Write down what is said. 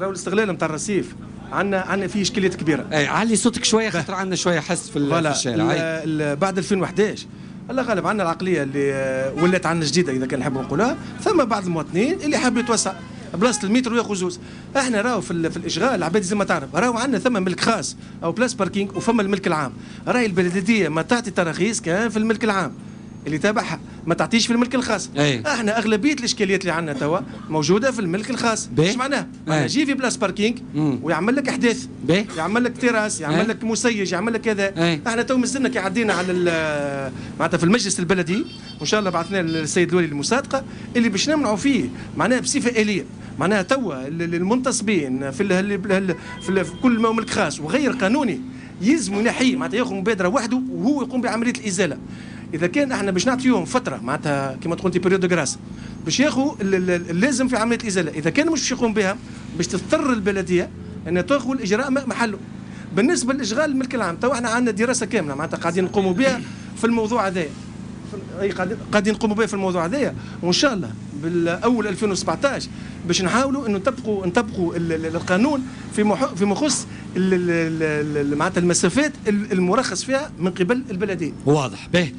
راهو الاستغلال نتاع الرصيف عندنا فيه اشكاليات كبيره. اي، علي صوتك شوية خاطر عندنا شوية حس في الشارع. بعد 2011، الله غالب، عندنا العقلية اللي ولات عندنا جديدة اذا كان نحبوا نقولها. ثم بعض المواطنين اللي حاب يتوسع، بلاصة المترو ياخذ زوز. احنا راهو في الاشغال العباد زي ما تعرف، راهو عندنا ثم ملك خاص او place parking وفما الملك العام. راهي البلدية ما تعطي تراخيص كان في الملك العام اللي تابعها، ما تعطيش في الملك الخاص. احنا اغلبية الاشكاليات اللي عندنا توا موجودة في الملك الخاص. ايش معناه؟ معناه يجي في place parking ويعمل لك احداث، يعمل لك تراس، يعمل لك مسيج، يعمل لك كذا. احنا تو مازلنا كي عدينا على معناتها في المجلس البلدي، وان شاء الله بعثنا للسيد الوالي المصادقه، اللي باش نمنعوا فيه معناها بصفة اليه. معناها توا المنتصبين في كل ما هو ملك خاص وغير قانوني يلزم ينحيه، معناتها ياخذ مبادرة وحده وهو يقوم بعملية الازاله. اذا كان احنا باش نعطيهم فتره، معناتها كما تقول انت période de grâce، باش ياخذوا اللازم في عملية الازاله، اذا كان مش باش يقوم بها باش تضطر البلدية ان تاخذ الاجراء محله. بالنسبة لاشغال الملك العام، تو احنا عندنا دراسة كاملة معناتها قاعدين نقوموا بها في الموضوع هذايا، اي قاعدين نقوموا بها في الموضوع هذايا، وان شاء الله بالاول 2017 باش نحاولوا انه نطبقوا القانون في مخص معناتها المسافات المرخص فيها من قبل البلديه. واضح به.